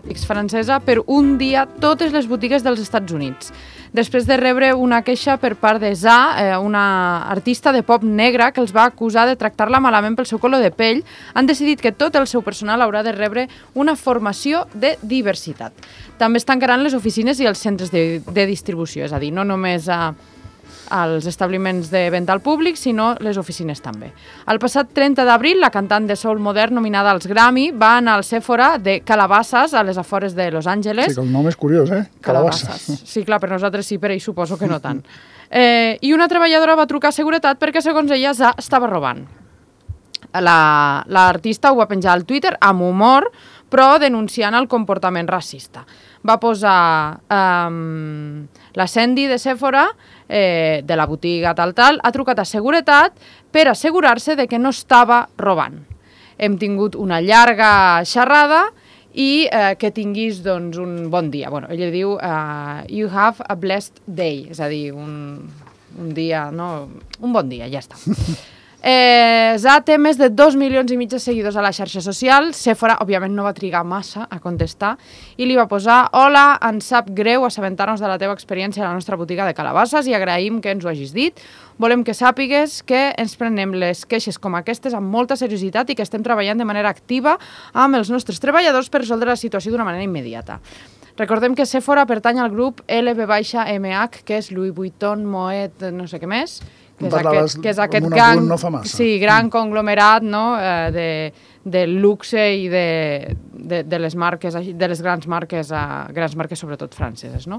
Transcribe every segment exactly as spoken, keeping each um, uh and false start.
cosmètics francesa per un dia totes les botigues dels Estats Units. Després de rebre una queixa per part de Za, una artista de pop negra que els va acusar de tractar-la malament pel seu color de pell, han decidit que tot el seu personal haurà de rebre una formació de diversitat. També es tancaran les oficines i els centres de, de distribució, és a dir, no només a, als establiments de venda al públic, sinó les oficines també. El passat trenta d'abril, la cantant de soul modern nominada als Grammy va anar al Sephora de Calabasas, a les afores de Los Angeles. Sí, que el nom és curiós, eh? Calabasas. Calabasas. Sí, clar, per nosaltres sí, per ell suposo que no tant. Eh, I una treballadora va trucar a seguretat perquè, segons ella, Za estava robant. L'artista ho va penjar al Twitter amb humor, però denunciant el comportament racista. Va posar um, la Sandy de Sephora, eh, de la botiga tal tal, ha trucat a seguretat per assegurar-se de que no estava robant. Hem tingut una llarga xerrada i eh, que tinguis doncs, un bon dia. Bueno, ella diu uh, you have a blessed day, és a dir, un, un dia, no? Un bon dia, ja està. Eh, Za té més de dos milions i mig de seguidors a la xarxa social. Sephora, òbviament, no va trigar massa a contestar i li va posar: hola, ens sap greu assabentar-nos de la teva experiència a la nostra botiga de Calabasas i agraïm que ens ho hagis dit. Volem que sàpigues que ens prenem les queixes com aquestes amb molta seriositat i que estem treballant de manera activa amb els nostres treballadors per resoldre la situació d'una manera immediata. Recordem que Sephora pertany al grup L V M H, que és Louis Vuitton, Moet, no sé què més, que és aquest, que és aquest gang, no sí, gran conglomerat, no? eh, de, de luxe i de, de, de les marques, de les grans marques, uh, grans marques sobretot franceses, no?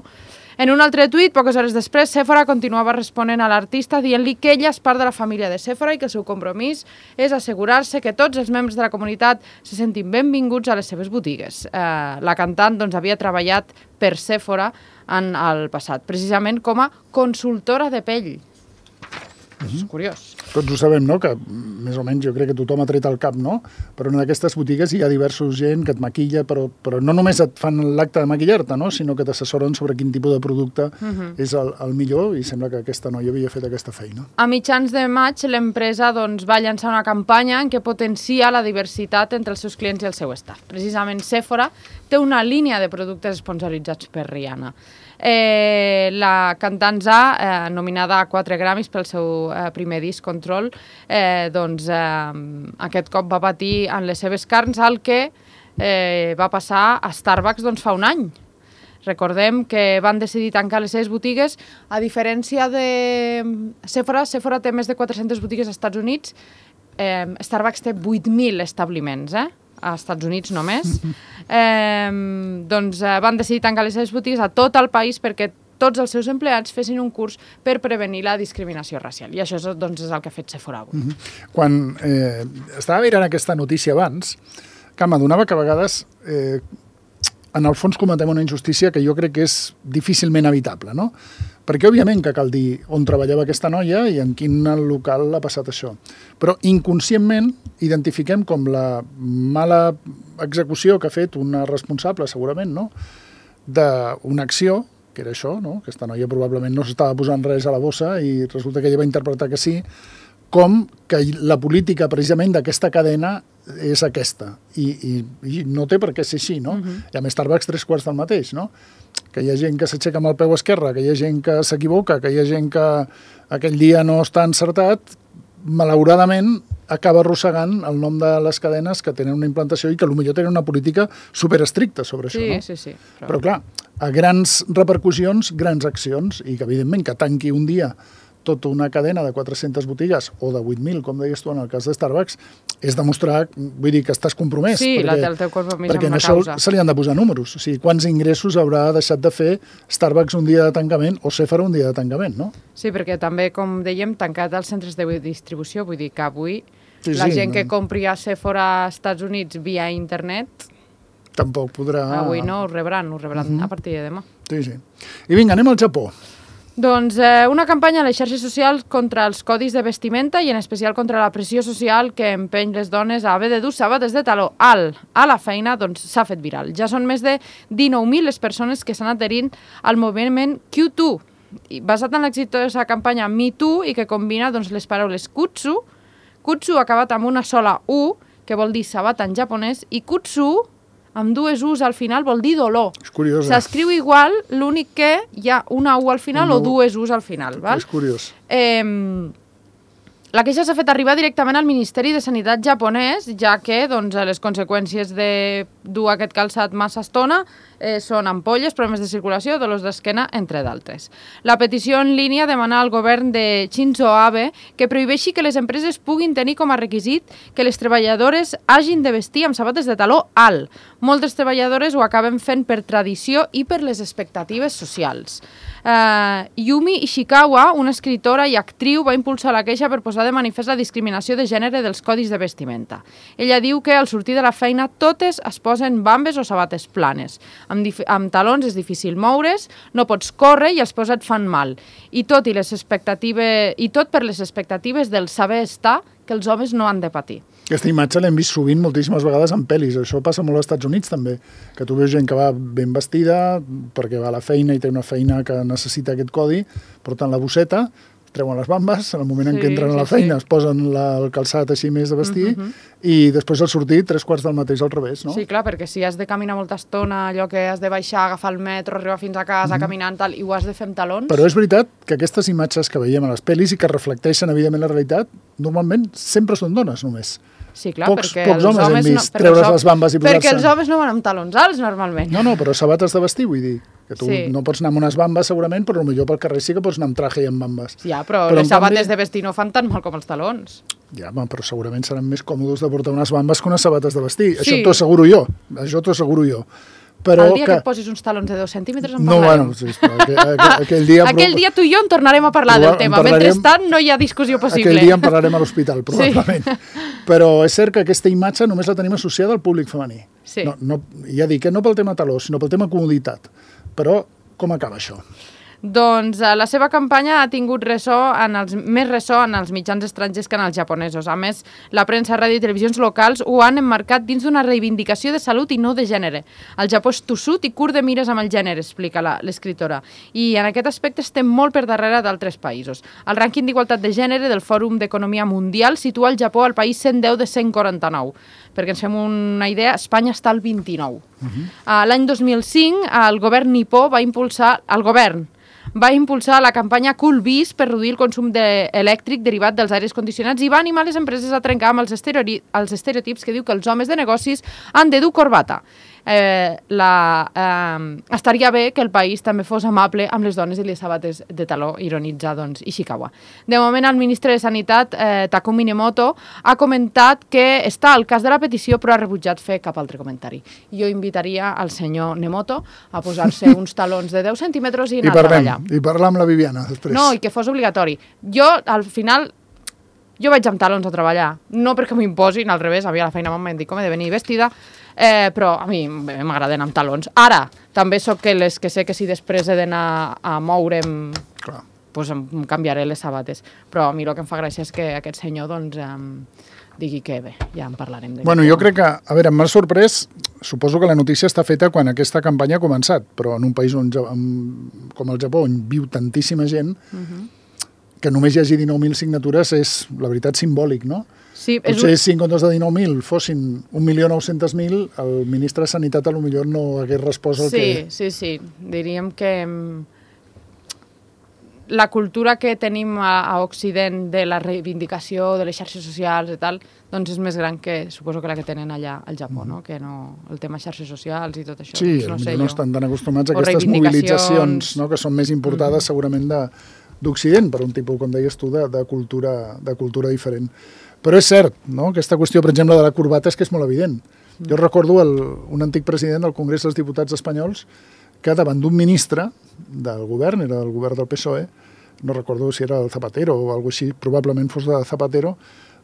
En un altre tuit, poques hores després, Sephora continuava responent a l'artista dient-li que ella és part de la família de Sephora i que el seu compromís és assegurar-se que tots els membres de la comunitat se sentin benvinguts a les seves botigues. Eh, la cantant doncs, havia treballat per Sephora en el passat, precisament com a consultora de pell. És curiós. Tots ho sabem, no?, que més o menys jo crec que tothom ha tret el cap, no? Però en aquestes botigues hi ha diversos gent que et maquilla, però, però no només et fan l'acte de maquillar-te, no?, sinó que t'assessoren sobre quin tipus de producte uh-huh. és el, el millor, i sembla que aquesta noia havia fet aquesta feina. A mitjans de maig, l'empresa doncs, va llançar una campanya en què potencia la diversitat entre els seus clients i el seu staff. Precisament Sephora té una línia de productes sponsoritzats per Rihanna. Eh, la cantant Za, eh, nominada a quatre Grammys pel seu eh, primer disc, Control, eh, doncs eh, aquest cop va patir en les seves carns el que eh, va passar a Starbucks doncs, fa un any. Recordem que van decidir tancar les seves botigues, a diferència de Sephora. Sephora té més de quatre-centes botigues als Estats Units, eh, Starbucks té vuit mil establiments, eh? als Estats Units només, eh, doncs eh, van decidir tancar les seves botigues a tot el país perquè tots els seus empleats fessin un curs per prevenir la discriminació racial. I això és, doncs, és el que ha fet Sephora avui. Mm-hmm. Quan eh, estava mirant aquesta notícia abans, que m'adonava que a vegades eh, en el fons cometem una injustícia que jo crec que és difícilment evitable, no? Perquè, òbviament, que cal dir on treballava aquesta noia i en quin local ha passat això. Però inconscientment identifiquem com la mala execució que ha fet una responsable, segurament, no?, d'una acció, que era això, no?, aquesta noia probablement no s'estava posant res a la bossa i resulta que ella va interpretar que sí, com que la política precisament d'aquesta cadena és aquesta. I, i, i no té per què ser així, no? Uh-huh. I a més Starbucks tres quarts del mateix, no? Que hi ha gent que s'aixeca amb el peu esquerre, que hi ha gent que s'equivoca, que hi ha gent que aquell dia no està encertat, malauradament acaba arrossegant el nom de les cadenes que tenen una implantació i que potser tenen una política superestricta sobre sí, això, no? Sí, sí, però... però clar, a grans repercussions, grans accions, i que evidentment que tanqui un dia tota una cadena de quatre-centes botigues, o de vuit mil, com deies tu en el cas de Starbucks, és demostrar, vull dir, que estàs compromès. Sí, perquè, la, el teu compromís perquè amb la això causa. se li han de posar números. O sigui, quants ingressos haurà deixat de fer Starbucks un dia de tancament o Sephora un dia de tancament, no? Sí, perquè també, com dèiem, tancat els centres de distribució, vull dir que avui sí, la sí, gent no. que compri a Sephora als Estats Units via internet... Tampoc podrà... Avui no, ho rebran, ho rebran uh-huh. a partir de demà. Sí, sí. I vinga, anem al Japó. Doncs eh, una campanya a les xarxes socials contra els codis de vestimenta i en especial contra la pressió social que empeny les dones a haver de dur sabates de taló alt a la feina, doncs s'ha fet viral. Ja són més de dinou mil les persones que s'han adherint al moviment Q dos, basat en l'exitosa campanya Me Too i que combina doncs, les paraules kutsu, kutsu acabat amb una sola U, que vol dir sabat en japonès, i kutsu amb dues U's al final vol dir dolor. És curiós, eh? S'escriu igual, l'únic que hi ha una U al final una o dues U's al final. Val? És curiós. Eh, la queixa s'ha fet arribar directament al Ministeri de Sanitat japonès, ja que doncs, les conseqüències de dur aquest calçat massa estona eh, són ampolles, problemes de circulació, dolors d'esquena, entre d'altres. La petició en línia demana al govern de Shinzo Abe que prohibeixi que les empreses puguin tenir com a requisit que les treballadores hagin de vestir amb sabates de taló alt. Moltes treballadores ho acaben fent per tradició i per les expectatives socials. Uh, Yumi Ishikawa, una escritora i actriu, va impulsar la queixa per posar de manifest la discriminació de gènere dels codis de vestimenta. Ella diu que al sortir de la feina totes es posen bambes o sabates planes. Amb, amb talons és difícil moure's, no pots córrer i els peus et fan mal. I tot, i les expectatives, i tot per les expectatives del saber estar que els homes no han de patir. Aquesta imatge l'hem vist sovint moltíssimes vegades en pel·lis. Això passa molt als Estats Units també, que tu veus gent que va ben vestida perquè va a la feina i té una feina que necessita aquest codi, porten la bosseta, treuen les bambes, en el moment sí, en què entren a la sí, feina sí. es posen la, el calçat així més de vestir uh -huh. i després al sortir tres quarts del mateix al revés, no? Sí, clar, perquè si has de caminar molta estona, allò que has de baixar, agafar el metro, arribar fins a casa, uh -huh. caminant, tal, i ho has de fer amb talons... Però és veritat que aquestes imatges que veiem a les pel·lis i que reflecteixen evidentment la realitat, normalment sempre són dones només. Sí, clar, pocs, perquè pocs els homes, homes hem vist no, treure's les bambes i posar-se... Perquè els homes no van amb talons alts, normalment. No, no, però sabates de vestir, vull dir. Que tu sí. no pots anar amb unes bambes, segurament, però potser pel carrer sí que pots anar amb traje i amb bambes. Ja, però, però les sabates canvi... de vestir no fan tan mal com els talons. Ja, però segurament seran més còmodes de portar unes bambes que unes sabates de vestir. Sí. Això t'ho asseguro jo. Això t'ho asseguro jo. Però el dia que... que et posis uns talons de dos centímetres en no, parlarem. Bueno, sí, aquell, aquell, aquell dia... aquell dia tu i jo en tornarem a parlar del tema. parlarem... Mentrestant no hi ha discussió possible. Aquell dia en parlarem a l'hospital, probablement. Sí. Però és cert que aquesta imatge només la tenim associada al públic femení. Sí. No, no, ja dic que no pel tema taló, sinó pel tema comoditat. Però com acaba això? Doncs eh, la seva campanya ha tingut ressò en els, més ressò en els mitjans estrangers que en els japonesos. A més, la premsa, ràdio i televisions locals ho han emmarcat dins d'una reivindicació de salut i no de gènere. El Japó és tossut i curt de mires amb el gènere, explica l'escriptora. I en aquest aspecte estem molt per darrere d'altres països. El rànquing d'igualtat de gènere del Fòrum d'Economia Mundial situa el Japó al país cent deu de cent quaranta-nou. Perquè ens fem una idea, Espanya està al vint-i-nou. Uh-huh. L'any dos mil cinc, el govern nipó va impulsar... El govern va impulsar la campanya Cool Bees per reduir el consum de elèctric derivat dels aires condicionats i va animar les empreses a trencar amb els, els estereotips que diu que els homes de negocis han de dur corbata. Eh, la, eh, estaria bé que el país també fos amable amb les dones i les sabates de taló, ironitza doncs, Ishikawa. De moment, el ministre de Sanitat, eh, Takumi Nemoto, ha comentat que està al cas de la petició però ha rebutjat fer cap altre comentari. Jo invitaria al senyor Nemoto a posar-se uns talons de deu centímetres i anar I parlem, a treballar. I parlar amb la Viviana després. No, i que fos obligatori. Jo, al final... Jo vaig amb talons a treballar, no perquè m'ho imposin, al revés, a mi a la feina m'han dit com he de venir vestida, eh, però a mi m'agrada anar amb talons. Ara, també sóc que les que sé que si després he d'anar a moure'm, Clar. doncs em canviaré les sabates. Però a mi el que em fa gràcia és que aquest senyor doncs, em digui que bé, ja en parlarem. Bueno, jo crec que, a veure, m'ha sorprès, suposo que la notícia està feta quan aquesta campanya ha començat, però en un país on, com el Japó, on viu tantíssima gent, uh-huh. que només hi hagi dinou mil signatures és, la veritat, simbòlic, no? Sí, Potser un... si en comptes de dinou mil fossin un milió nou-cents mil, el ministre de Sanitat a lo millor no hagués respost al sí, que... Sí, sí, sí. Diríem que la cultura que tenim a, a Occident de la reivindicació de les xarxes socials i tal, doncs és més gran que, suposo que la que tenen allà al Japó, no? Que no, el tema xarxes socials i tot això. Sí, doncs no, sé no jo. estan tan acostumats a aquestes mobilitzacions, no? Que són més importades mm. segurament de d'Occident, per un tipus, com deies tu, de, de, cultura, de cultura diferent. Però és cert, no? Aquesta qüestió, per exemple, de la corbata és que és molt evident. Mm. Jo recordo el, un antic president del Congrés dels Diputats espanyols que davant d'un ministre del govern, era del govern del P S O E, no recordo si era el Zapatero o alguna cosa així, probablement fos de Zapatero,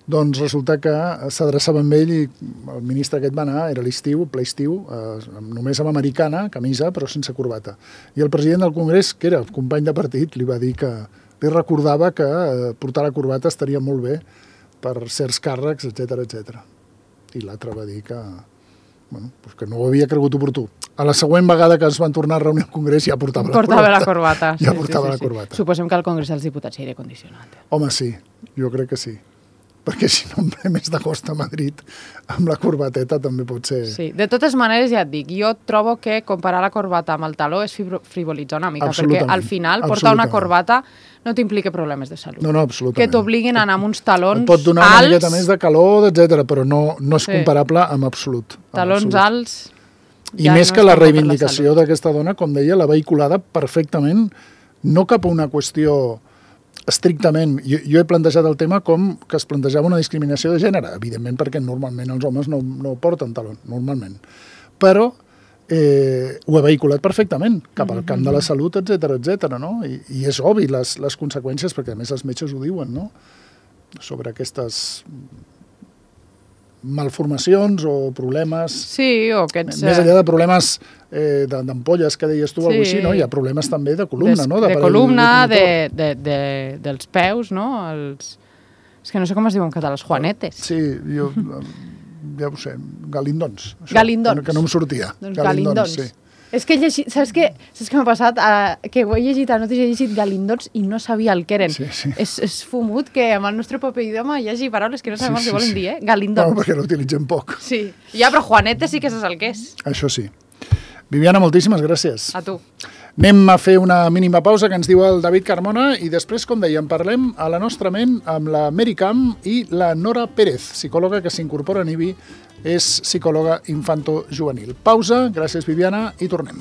doncs resulta que s'adreçava amb ell i el ministre aquest va anar, era l'estiu, ple estiu, eh, només amb americana, camisa, però sense corbata. I el president del Congrés, que era company de partit, li va dir que li recordava que eh, portar la corbata estaria molt bé per certs càrrecs, etcètera, etcètera. I l'altre va dir que, bueno, pues que no ho havia cregut oportú. A la següent vegada que es van tornar a reunir al Congrés ja portava, portava la corbata. La corbata. Ja sí, portava sí, sí, la sí. corbata. Suposem que al Congrés dels Diputats hi aire condicionat. Home, sí, jo crec que sí. perquè si no em ve més d'agost a Madrid amb la corbateta també pot ser... Sí, de totes maneres ja et dic, jo trobo que comparar la corbata amb el taló és frivolitzar una mica, perquè al final portar una corbata no t'implica problemes de salut. No, no, absolutament. Que t'obliguin a anar amb uns talons alts... Pot donar una alts, miqueta més de calor, etcètera, però no, no és sí. comparable amb absolut. Amb talons absolut. alts... I ja més no que la reivindicació d'aquesta dona, com deia, l'ha vehiculada perfectament, no cap a una qüestió estrictament... Jo, jo he plantejat el tema com que es plantejava una discriminació de gènere, evidentment perquè normalment els homes no, no porten talons, normalment. Però eh, ho ha vehiculat perfectament cap al camp de la salut, etcètera, etcètera, no? I, I és obvi les, les conseqüències, perquè a més els metges ho diuen, no? Sobre aquestes... malformacions o problemes... Sí, o aquests... Més enllà de problemes eh, d'ampolles que deies tu, sí. Alguna així, no? Hi ha problemes també de columna, Des, no? De, de columna, de, de, de, dels peus, no? Els... És que no sé com es diuen en català, els juanetes. Sí, jo... ja ho sé, galindons. Això, galindons. Que, que no em sortia. Doncs galindons, galindons. Sí. És que he llegit, saps què? Saps què m'ha passat? Uh, que ho he llegit a notícies, he llegit galindons i no sabia el que eren. Sí, sí. És, és fumut que amb el nostre propi idioma hi hagi paraules que no sabem sí, el que sí, volen sí. dir, eh? Galindons. No, perquè l'utilitzem poc. Sí. Ja, però Juanete sí que saps el que és. Això sí. Viviana, moltíssimes gràcies. A tu. Anem a fer una mínima pausa que ens diu el David Carmona i després, com dèiem, parlem a la nostra ment amb la Mary Camp i la Nora Pérez, psicòloga que s'incorpora a N I B I, és psicòloga infanto-juvenil. Pausa, gràcies Viviana, i tornem.